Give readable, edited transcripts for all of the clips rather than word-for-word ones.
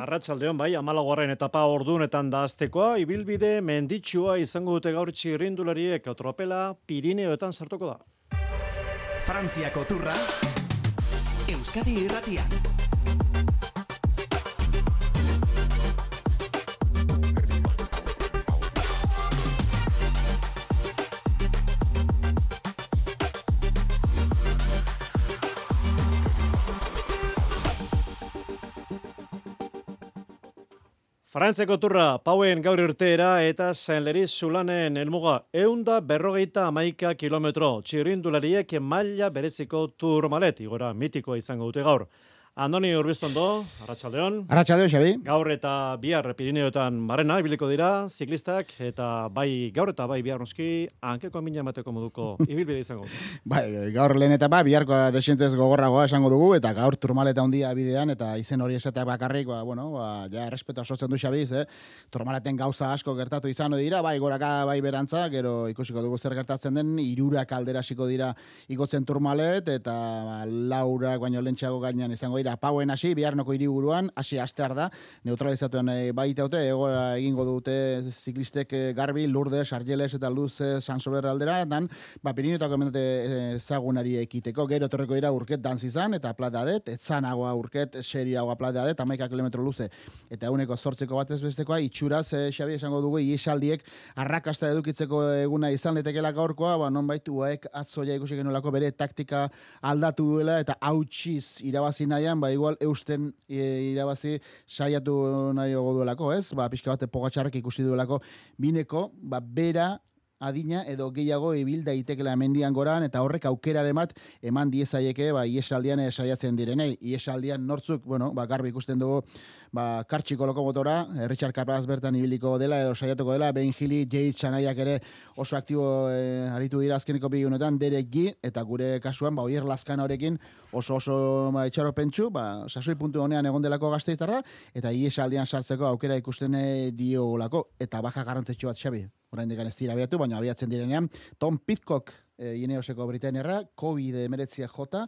Arratsaldeon bai, 14. etapa ordunetan da aztekoa, ibilbide menditsua izango dute gaur txirrindulariek, tropela Pirineoetan sartuko da. Frantziako turra, Euskadi Irratian. Frantziako turra, Pauen gaur irteera eta Saint-Leriz Sulanen helmuga 151 kilometro. Txirrindulariek maila bereziko turmalet, igora mitikoa izango dute gaur. Andoni Urbiztondo, Arratsaldeon. Arratsaldeon, Xabi. Gaur eta bihar Pirineoetan barrena ibiliko dira ziklistak eta bai gaur eta bai bihar noski hankeko mina emateko moduko ibilbide izango. Bai, gaur lehen etapa biharko desientez gogorragoa esango dugu eta gaur turmaleta handia bidean eta izen hori esatea bakarrik, ja errespetua sortzen du Xabiz, turmaleten gauza asko gertatu izango dira, bai goraka bai berantza, gero ikusiko dugu zer gertatzen den, 3 aldera hasiko dira igotzen turmalet eta laurak baino lentsago gainean izango dira Pauen hasi, biharnoko hiriburuan, hasi astear da, neutralizatuan baitaute, egora egingo dute ziklistek Garbi, Lourdes, Argeles eta Luz Sansober aldera, dan, Pirineotako mendate ezagunari ekiteko, gero torreko dira urket dantzizan, eta platadet, etzanagoa urket, serioagoa platadet, 11 kilometro luze, eta uneko zortzeko batez bestekoa, itxuraz, Xabi esango dugu, iesaldiek arrakasta edukitzeko eguna izan letekela gaurkoa, nonbait uaek atzoia ikusi genolako bere taktika aldatu duela, eta hautsiz irabazi nahian, igual eusten irabazi saiatu nahi duelako, ez? Pixka bat Pogačarrek ikusi duelako bineko, bera adina edo gehiago ibil daitekela mendian goran eta horrek aukeraren bat eman diezaieke iesaldian saiatzen direnei. Iesaldian nortzuk, Garbi ikusten dugu kartxiko lokomotora, Richard Carapaz bertan ibiliko dela edo saiatuko dela, Ben Gili, Jade Chanaiak ere oso aktibo aritu dira azkeneko bigunetan, Derek G, eta gure kasuan, Oier Lazkanorekin oso etxaro pentsu, sasoi puntu honean egon delako Gasteiztarra, eta iesaldian sartzeko aukera ikusten diolako, eta baja garrantzitsu bat, Xabi. Oraindik ez dira abiatu, baina abiatzen direnean, Tom Pidcock, Ineoseko Britainiarra, COVID-19 jota,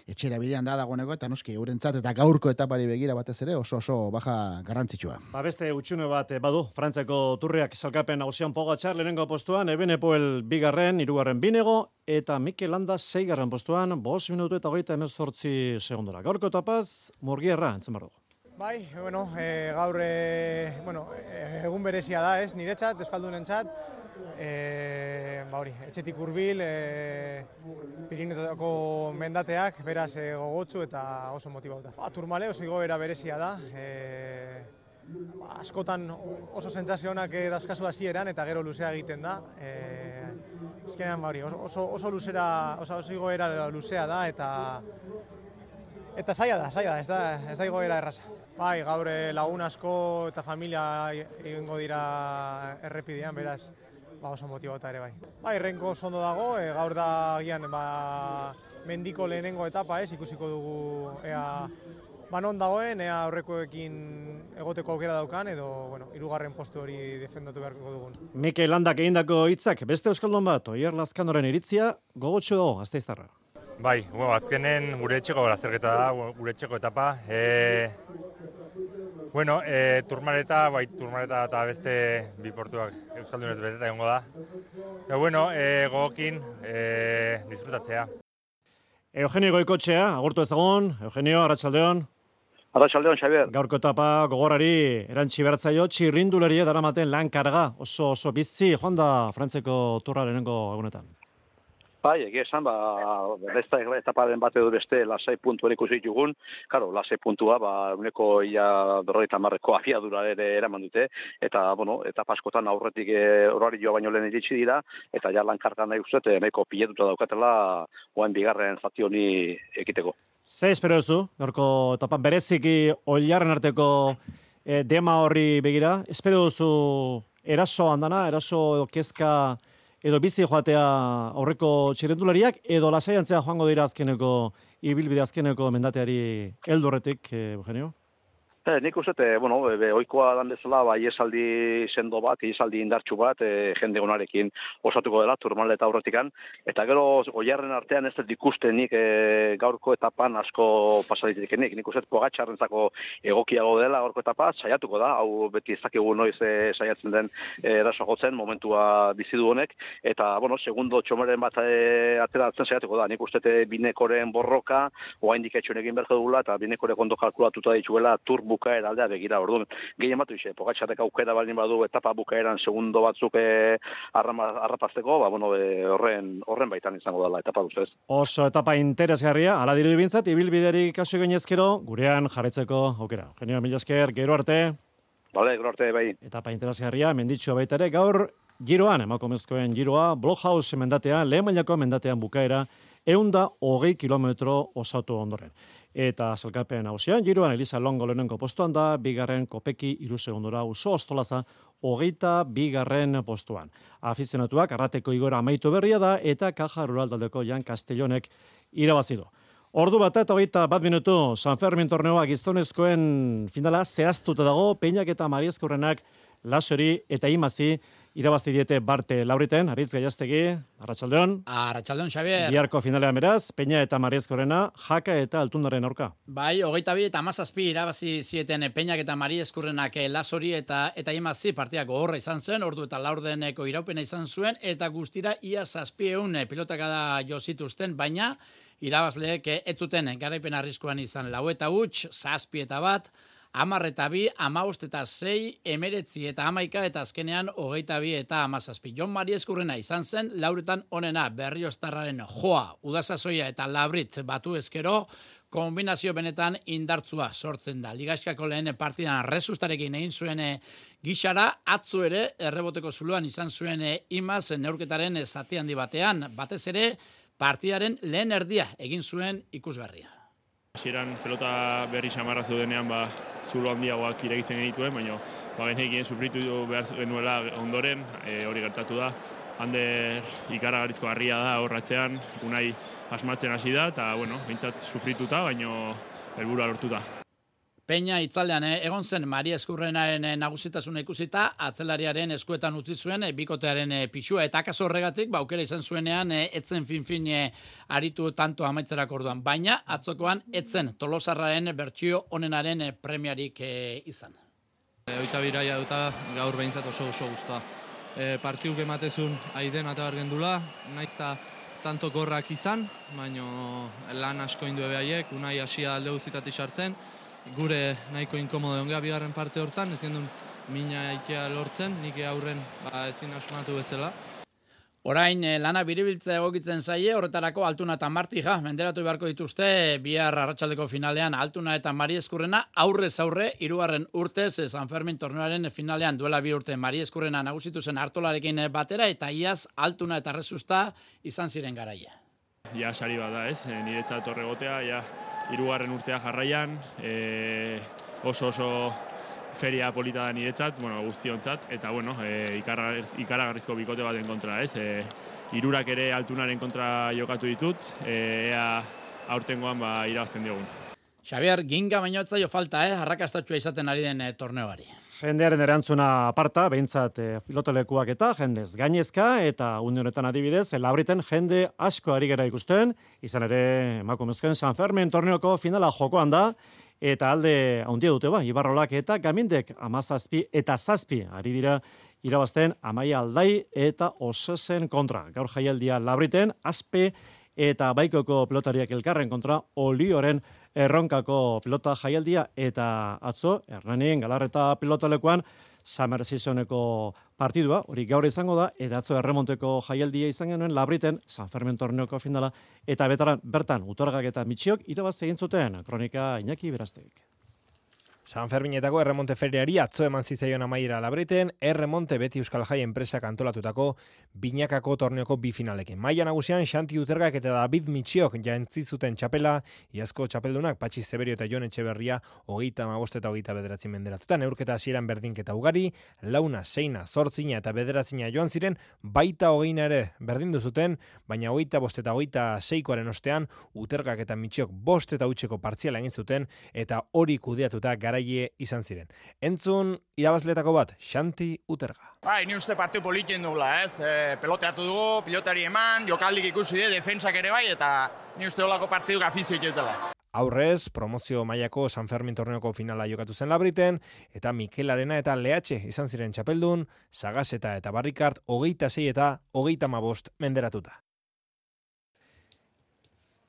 etxera bidean dagoeneko, eta noski eurentzat eta gaurko etapari begira batez ere oso baja garrantzitsua. Beste utxune bat badu, Frantziako turriak salkapen nagusian Pogačar lehenengo postuan, Evenepoel 2., 3. Binego, eta Mikel Landa 6. postuan, 5 minutu eta 38 segundora. Gaurko etapaz, Murgierra, entzen bardu. Bai, gaur egun berezia da, ez, niretzat, euskaldunentzat, etxetik hurbil, Pirineotako mendateak, beraz gogotsu eta oso motibauta. Turmale oso igoera berezia da, askotan oso sentsazio onak dauzkazu hasieran eta gero luzea egiten da. Azkenean oso luzera, oso igoera luzea da eta zaila da, ez da igoera erraza. Bai, gaur lagun asko eta familia egingo dira errepidean, beraz, oso motibauta ere bai. Bai, Renko oso ondo dago, gaur da gian mendiko lehenengo etapa, ikusiko dugu ea non dagoen, ea aurrekoekin egoteko aukera daukan, edo, 3. postu hori defendatu beharko dugun. Mikel Landak egindako hitzak, beste euskaldun bat, Oier Lazkanoren iritzia, gogotsu dago, Gasteiztarra. Bai, azkenen gure etxeko lazerketa da, gure etxeko etapa. Turmaleta eta beste bi portuak euskaldunez beteta egongo da. Gogokin disfrutatzea. Eugenio Goikotxea, agurtu ezagun. Eugenio, Arratsaldeon. Arratsaldeon, Xabier. Gaurko etapa gogorari erantsi bertzaio, txirrindularia daramaten lan karga, oso bizi, joan da Frantziako turra lehenengo egunetan. Bai, egia esan, beste etaparen bat edo beste lasai puntu ikusi ditugun. Karo, lasai puntua, uneko ia 50ko afiadura ere eraman dute, eta, etapa askotan aurretik horari joa baino lehen iritsi dira, eta ja lankarga nahi uste, nahiko piletuta daukatela, oain bigarren zati honi ekiteko. Ze espero duzu, gaurko etapan bereziki oilarren arteko dema horri begira, espero duzu eraso handana, eraso kezka edo bizi joatea aurreko txirrindulariak, edo lasaiantzea joango dira azkeneko, ibilbide azkeneko mendateari heldu horretik, Eugenio? Nik uste, ohikoa dan bezala, iesaldi sendo bat, iesaldi indartsu bat, jende onarekin osatuko dela, Tourmaleta aurretikan, eta gero, oiarren artean ez dut ikusten nik gaurko etapan asko pasaditetik nik uste, Pogačarrentzako egokiago dela gaurko etapa, saiatuko da, hau beti ez dakigu noiz saiatzen den eraso jotzen, momentua bizidu honek, eta, segundo txomeren bat ateratzen saiatuko da, nik uste Binekoren borroka, oraindik etxun egin berko dugula, eta Binekorek ondo kalkulatuta dituela, bukaera aldea begira, orduan, gehien batu ixe, Pogačarrek aukera baldin badu etapa bukaeran segundo batzuk arrapazteko, horren baitan izango dela etapa duzez. Oso etapa interesgarria, ala dirudi bintzat, ibilbiderik kasu gainezkero, gurean jarretzeko aukera. Genio, mila esker, gero arte. Bale, gero arte, bai. Etapa interesgarria, menditxo baita ere, gaur giroan, emakumezkoen giroa, Blockhouse mendatean, lehen mailako mendatean bukaera, 120 kilometro osatu ondoren. Eta zelkapen hausian, giroan Elisa Longo lehenengo postuan da, bigarren Kopeki 3 segundora Uso Ostolaza 22. postuan. Afizionatuak Arrateko Igora amaitu berria da, eta Caja Rural taldeko Jan Castellonek irabazidu. Ordu bat eta 21 minutu, San Fermin torneoa gizonezkoen finala zehaztuta dago, Peñak eta Mariezkurrenak Lasori eta Imazi irabazi diete Barte Lauriten, Aritz Gaiastegi, Arratsaldeon. Arratsaldeon, Xabier. Biharko finalean beraz, Peña eta Mariezkurrena, Jaka eta Altundaren aurka. Bai, 22 eta 17 irabazi zieten Peñak eta Mariezkurrenak Lasori eta Imazi partiak gogorra izan zen, ordu eta laurdeneko iraupena izan zuen, eta guztira ia 700 pilotakada jo zituzten, baina irabazleek ez zuten garaipen arriskuan izan 4 eta 7 eta 1, 10 eta 2, 15 eta 6, 19 eta 11 eta azkenean 22 eta 17. Jon Mariezkurrena izan zen, lauretan onena Berrioztarraren Joa, Udasasoia eta Labrit batu ezkero, kombinazio benetan indartzua sortzen da. Ligaskako lehen partidan Resustarekin egin zuen gixara, atzo ere erreboteko zuluan izan zuen Imaz neurketaren zati handi batean, batez ere partidaren lehen erdia egin zuen ikusgarria. Hasieran pelota berri samarra zeudenean zulo handiagoak iregitzen genituen, baina genekien sufritu behar genuela ondoren, hori gertatu da. Ander ikaragarrizko harria da horratzean, Unai asmatzen hasi da, eta bintzat sufrituta, baina helburua lortuta. Peña itzaldean egon zen Mariezkurrenaren nagusitasuna ikusita, atzelariaren eskuetan utzi zuen bikotearen pixua, eta akaso horregatik aukera izan zuenean etzen fin aritu tanto amaitzerako orduan, baina atzokoan etzen Tolosarraren bertsio onenaren premiarik izan. Oita biraia duta gaur behintzat oso guztua. Partiuk ematezun aiden eta bergendula, naizta tanto gorrak izan, baina lan asko indu ebehaiek, Unai hasia alde guztitatik sartzen, gure nahiko inkomodo ongea bigarren parte hortan, ez gendun mina ikea lortzen, nik aurren ezin asmatu bezala. Orain lana biribiltza egokitzen zaie, horretarako Altuna eta Martija menderatu beharko dituzte, bihar arratsaldeko finalean Altuna eta Mariezkurrena aurrez aurre, 3. urtez San Fermin torneoaren finalean duela 2 urte Mariezkurrena nagusitu zen Artolarekin batera, eta iaz Altuna eta Resusta izan ziren garaia. Ja sari bat da, ez? Niretzat horregotea, ja 3. urtea jarraian, oso feria polita da niretzat, guztiontzat, eta ikaragarrizko bikote baten kontra, ez? Hirurak ere Altunaren kontra jokatu ditut, ea aurtengoan irabazten diogun. Xabier, ginga baino ez zaio falta, arrakastatsua izaten ari den torneoari. Jendearen erantzuna aparta, behintzat pilotolekuak eta jendez gainezka, eta une honetan adibidez, Labriten jende asko ari gera ikusten, izan ere emakumezkoen San Fermin torneoko finala jokoan da, eta alde handia dute Ibarrolak eta Gamindek 17 eta 7 ari dira irabazten Amaia Aldai eta Osesen kontra. Gaur jaialdia Labriten, Aspe eta Baikoko pilotariak elkarren kontra Olioren erronkako pilota jaialdia, eta atzo, Hernanin Galarreta pilotalekuan Summer Seasoneko partidua, hori gaur izango da, eta atzo erremonteko jaialdia izan genuen Labriten, San Fermin torneoko finala, eta bertan Utorgak eta Mitxiok irabazi egin zuten, kronika Iñaki Beraztek. San Ferminetako erremonte feriari atzo eman zitzaion amaiera Labriten, erremonte beti Euskal Jai enpresak antolatutako binakako torneoko bi finalekin. Maila nagusian Xanti Utergak eta David Mitxiok jantzi zuten txapela, iazko txapeldunak Patxi Zeberio eta Jon Etxeberria 35 eta 29 menderatuta, neurketa hasieran berdinketa ugari, 4, 6, 8 eta 9 joan ziren, baita 20 ere berdindu zuten, baina 25 eta 26koaren ostean Utergak eta Mitxiok 5 eta 8ko partziala egin zuten, eta hori kudeatuta garaile izan ziren. Entzun irabazletako bat, Xanti Uterga. Bai, ni uste partiu politien dugula, ez? Peloteatu dugu, pilotari eman, jokaldik ikusi de, defentsak ere bai, eta ni uste holako partiduk afizioik dutela. Aurrez, promozio mailako San Fermin torneoko finala jokatu zen Labriten, eta Mikel Arena eta Lehatxe izan ziren txapeldun, Sagaseta eta Barrikart 26 eta 35 menderatuta.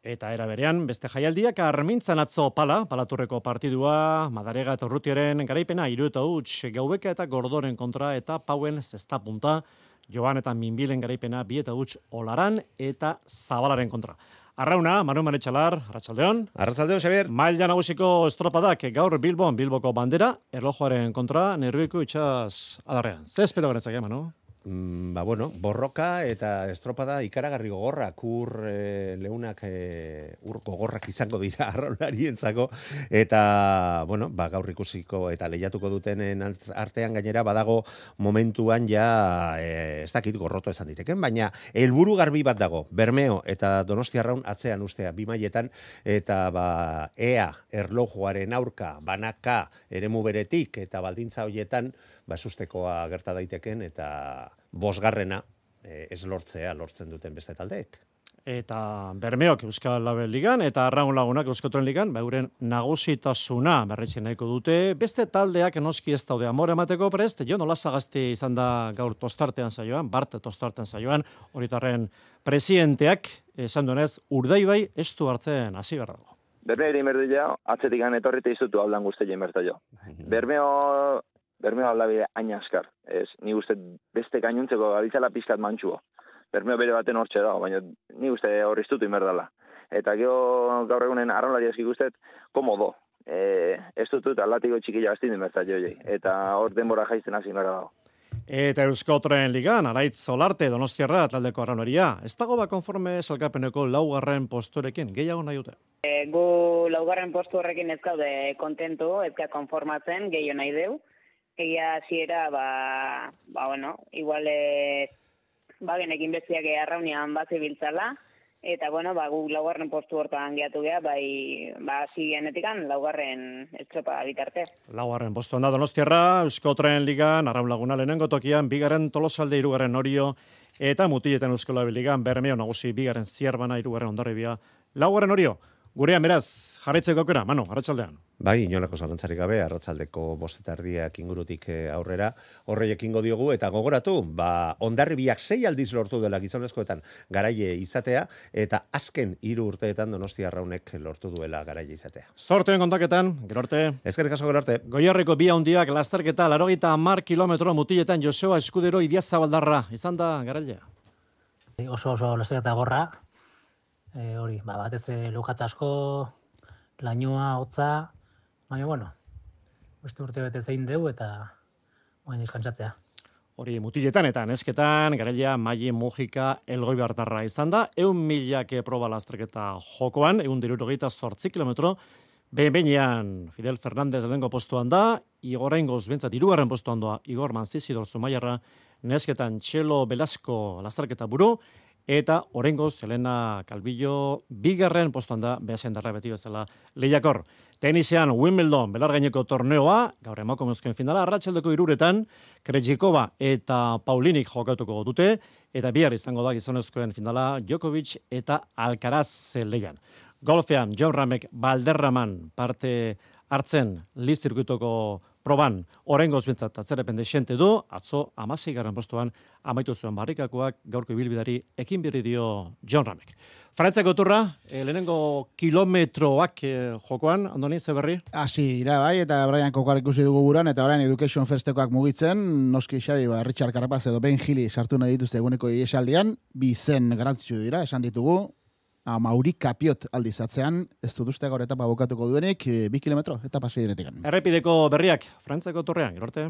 Eta era berean, beste jaialdiak Armintzan atzo Palaturreko partidua, Madarega eta Urrutiaren garaipena 3-0 Gaubeka eta Gordoren kontra eta Pauen zesta punta, Joan eta Minbilen garaipena 2-0 Olaran eta Zabalaren kontra. Arrauna, Manu Manetxalar, Arratsaldeon. Arratsaldeon, Xabier. Maila nagusiko estropadak gaur Bilboko bandera, erlojuaren kontra, Nerbioko itxas adarrean. Ze espero genezak, Manu? Borroka eta estropada ikaragarri gogorrak, leunak ur gogorrak izango dira arraunarientzako, eta, gaur ikusiko eta lehiatuko dutenen artean gainera badago momentuan ja, ez dakit gorroto esan diteken, baina helburu garbi bat dago, Bermeo eta Donostiarraun atzean ustea, bi mailetan, eta ea erlojuaren aurka, banaka, eremu beretik, eta baldintza horietan, sustekoa gerta daiteken, eta bosgarrena ez lortzen duten beste taldeek. Eta Bermeok Euskal Label Ligan, eta Arraun Lagunak Euskotren Ligan, euren nagusitasuna berretxen nahiko dute. Beste taldeak noski ez daude amore emateko prest, Jon Olazagasti izan da gaur tostartean saioan, Bart tostartean saioan, horitarren presidenteak, esan duenez, Urdaibai ez du hartzen hasi behar dago. Bermeo ere inberdu jo, atzetik etorrite izutu haulan guzteio inbertu jo. Bermeo aldabide aina askar. Ni uste beste gainuntzeko gabiltzala pizkat mantxuo. Bermeo bere baten hortxe dago, baina ni uste horriztutu inberdala. Eta gaur egunen arraunlari eski guztet, komodo. Ez dutut aldatiko txikila bastin inbertzat joiei. Eta hor denbora jaizten hasi inberda dago. Eta Euskotren Ligan, Araitz Solarte, Donostiarra, taldeko arraunaria. Ez dago konforme salkapeneko 4. posturekin, gehiago nahi dute? Gu 4. postu horrekin ez gaude kontentu, ez konformatzen, gehiago nahi deu. Egia hasiera, igual genekin bestiak arraunian bat zibiltzala, eta gu 4. postu hortan gehiatu geha, hasi genetikan 4. estropa bitarte. 4. postuan da Donostiarra, Euskotren Ligan, Arraun Laguna lehenengo tokian, 2. Tolosalde, 3. Orio, eta Mutileten Euskola Ligan, Bermeo nagusi, 2. Zierbana, 3. Hondarribia, 4. Orio. Gurean beraz, jarraitzeko aukera, Manu, arratsaldean. Bai, inolako zalantzarik gabe, arratsaldeko 5:30 ingurutik aurrera, horreiek ingo diogu, eta gogoratu, Hondarribiak 6 aldiz lortu dela gizonezkoetan garaile izatea, eta azken 3 urteetan Donostiarraunek lortu duela garaile izatea. Sorteen kontaketan, gero arte. Ezkerrik asko, gero arte. Goierriko bi handiak lasterketa 80 kilometro Mutiletan Joseba Eskudero Idiazabaldarra, izan da garailea. Oso lasterketa gorra. Hori, batez lukatz asko, lainoa, hotza, baina, beste urte bete zein deu eta izkantzatzea. Hori, Mutiletan eta nesketan, garailea Maili Mujika Elgoibartarra izan da, 100.000 proba lasterketa jokoan, 168 kilometro, behin-behinean Fidel Fernandez lehengo postuan da, Igorrengoz bentsat 3. postuan doa Igor Manzizidor Zumaiarra, nesketan Txelo Velasco lasterketa buru, eta orengoz Elena Calvillo 2. postuan da, behasendarra beti bezala lehiakor. Tenisean Wimbledon belargaineko torneoa, gaur emakumezkoen finala, arratsaldeko 3:00 Krejcikova eta Paulinik jokatuko dute, eta bihar izango da gizonezkoen finala Djokovic eta Alcaraz lehian. Golfean Jon Ramek Valderraman parte hartzen Liz zirkuitoko proban orengoz bentsat atzerepen desente du, atzo 16. postuan amaitu zuen barrikakoak gaurko ibilbidari ekin berri dio Jon Ramek. Frantziako turra, lehenengo kilometroak jokoan, Andoni, ze berri? Hasi dira bai, eta Brian Kokar ikusi dugu buran, eta orain Education Firstekoak mugitzen, noski Xabi, Richard Carapaz edo Ben Gili sartu nahi dituzte eguneko iesaldian, bizen garantzio dira, esan ditugu, Mauri Kapiot aldizatzean, ez dut uste gaur etapa bukatuko duenik, 2 kilometro, etapa 6 denetik. Errepideko berriak, Frantziako turrean, gero arte.